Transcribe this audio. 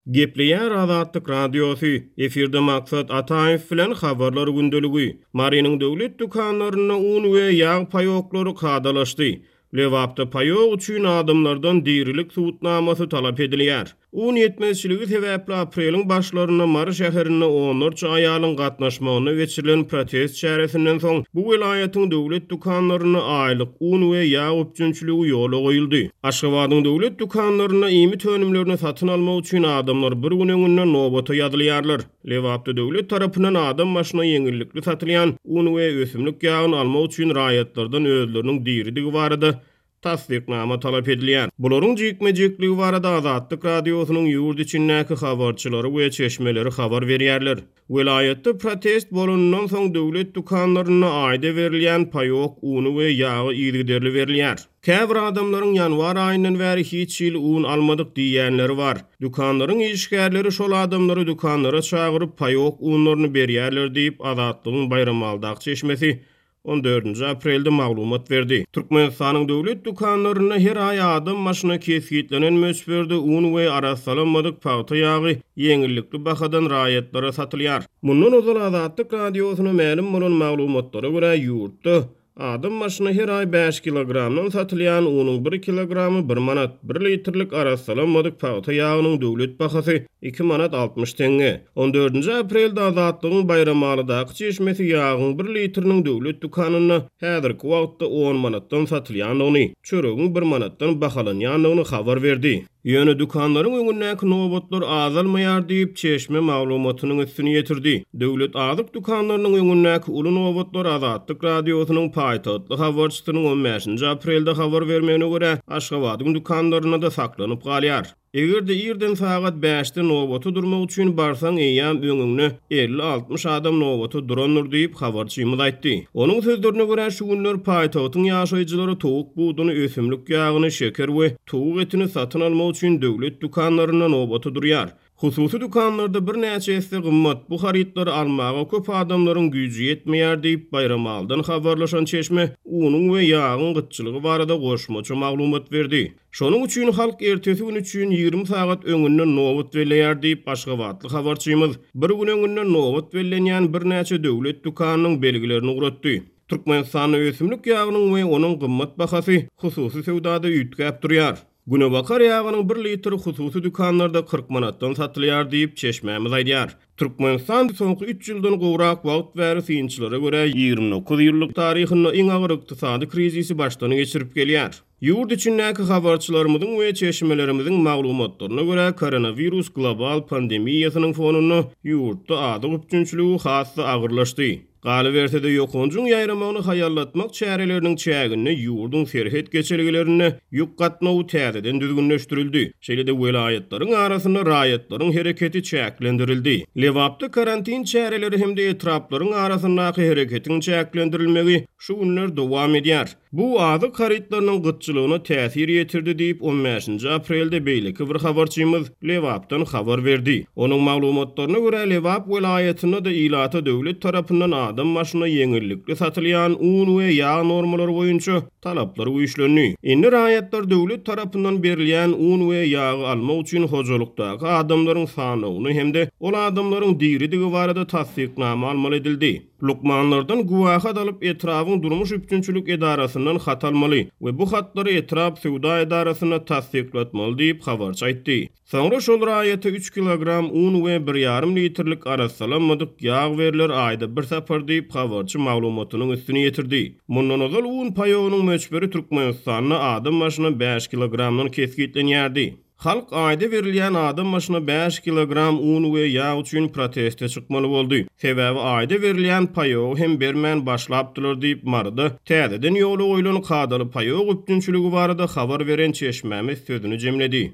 Gepleýär Azatlyk Radiosy, Efirde Maksat Ataýew bilen Habarlar gündeligi. Marynyň döwlet dükanlarynda un we ýag paýoklary kadalaşdy. Lebapda paýok üçin adamlardan dirilik subutnamasy talap edilýär. Un ýetmezçiligi sebäpli apreliň başlarynda Mary şäherinde onlarça aýalyň gatnaşmagynda geçirilen protest çäresinden soň, bu welaýatyň döwlet dükanlarynda aýlyk un we ýag üpjünçiligi ýola goýuldy. Aşgabadyň döwlet dükanlarynda iýmit önümlerini satyn almak üçin adamlar bir gün öňünden nobata ýazylýarlar. Lebapda döwlet tarapyndan adam başyna ýeňillikli satylýan un we ösümlik ýagyny almak üçin raýatlardan özleriniň diridigi barada tassyknama talap edilýär. Bularyň jikme-jikligi barada Azatlyk Radiosynyň ýurt içindäki habarçylary we çeşmeleri habar berýärler. Welaýatda protest bolanyndan soň döwlet dükanlarynda aýda berilýän paýok uny we ýagy yzygiderli berilýär. Käbir adamlaryň ýanwar aýyndan bäri hiç hili un almadyk diýýänleri bar. Dükanlaryň işgärleri şol adamlary dükanlara çagyryp paýok unlaryny berýärler diýip, Azatlygyň Baýramalydaky çeşmesi on dördünji aprelde maglumat berdi. Türkmenistanyň döwlet dükanlarynda her aý adam başyna kesgitlenen möçberde un we arassalanmadyk pagta ýagy ýeňillikli bahadan raýatlara satylýar. Mundan ozal Azatlyk Radiosyna mälim bolan maglumatlara görä, ýurtda adam başyna her aý bäş kilogramdan satylýan unuň bir kilogramy bir manat, bir litrlik arassalanmadyk pagta ýagynyň döwlet bahasy Iki manat 60 teňňe. On dördünji aprelde Azatlygyň Baýramalydaky çeşmesi ýagyň bir litriniň döwlet dükanynda häzirki wagtda on manatdan satylýandygyny, çöregiň bir manatdan bahalanýandygyny habar berdi. Ýöne dükanlaryň öňündäki nobatlar azalmaýar diýip, çeşme maglumatynyň üstüni ýetirdi. Döwlet azyk dükanlarynyň öňündäki uly nobatlar Azatlyk Radiosynyň paýtagtly habarçysynyň on bäşinji aprelde habar bermegine görä, Aşgabadyň dükanlarynda-da saklanyp galýar. Eger-de irden sagat bäşde nobata durmak üçin barsaň, eýýäm öňüňde 50-60 adam nobata durandyr diýip, habarçymyz aýtdy. Onuň sözlerine görä, şu günler paýtagtyň ýaşaýjylary towuk buduny, ösümlik ýagyny, şeker we towuk etini satyn almak üçin döwlet dükanlarynda nobata durýar. Hususy dükanlarda birnäçe esse gymmat bu harytlary almaga köp adamlaryň güýji ýetmeýär diýip, Baýramalydan habarlaşan çeşme unuň we ýagyň gytçylygy barada goşmaça maglumat berdi. Şonuň üçin halk ertesi gün üçin 20 sagat öňünden nobat belleýär diýip, aşgabatly habarçymyz bir gün öňünden nobat bellenýän birnäçe döwlet dükanynyň belgilerini ugratdy. Türkmenistanda ösümlik ýagynyň we onuň gymmat bahasy hususy söwdada üýtgäp durýar. Günebakar ýagynyň bir litri hususy dükanlarda 40 manatdan satylýar diýip, çeşmämiz aýdýar. Türkmenistan soňky üç ýyldan gowrak wagt bäri synçylara görä 29 ýyllyk taryhynda iň agyr ykdysady krizisi başdan geçirip gelýär. Ýurt içindäki habarçylarymyzyň we çeşmelerimiziň maglumatlaryna görä, koronawirus global pandemiýasynyň fonunda ýurtda azyk üpjünçiligi has-da agyrlaşdy. Galyberse-de, ýokanjyň ýaýramagyny haýallatmak çäreleriniň çäginde ýurduň serhet geçelgelerinde ýük gatnawy täzeden düzgünleşdirildi. Şeýle-de welaýatlaryň arasynda raýatlaryň hereketi çäklendirildi. Lebapda karantin çäreleri hem-de etraplaryň arasyndaky hereketiň çäklendirilmegi şu günler dowam edýär. Bu azyk harytlarynyň gytçylygyna täsir ýetirdi diýip, on bäşinji aprelde beýleki bir habarçymyz Lebapdan habar berdi. Onuň maglumatlaryna görä, Lebap welaýatynda-da ilata döwlet tarapyndan adam başyna ýeňillikli satylýan un we ýag normalary boýunça talaplar güýçlendi. Indi raýatlar döwlet tarapyndan berilýän un we ýagy almak üçin hojalykdaky adamlaryň sanawyny hem-de ol adamlaryň diridigi barada tassyknama almaly edildi. Lukmanlardan güwähat alyp, etrabyň durmuş üpjünçilik edarasyndan hat almaly we bu hatlary etrap söwda edarasynda tassyklatmaly diýip, habarçy aýtdy. Soňra şol raýata üç kilogram un we bir ýarym litrlik arassalanmadyk ýag berler aýda bir sapar diýip, habarçy maglumatynyň üstüni ýetirdi. Mundan ozal un paýogynyň möçberi Türkmenistanda adam başyna bäş kilogramdan kesgitlenýärdi. Halk aýda berilýän adam başyna bäş kilogram un we ýag üçin proteste çykmaly boldy. Sebäbi aýda berilýän paýogy hem bermän başlapdylar diýip, Maryda täzeden ýola goýlan kadaly paýok üpjünçiligi barada habar beren çeşmämiz sözüni jemledi.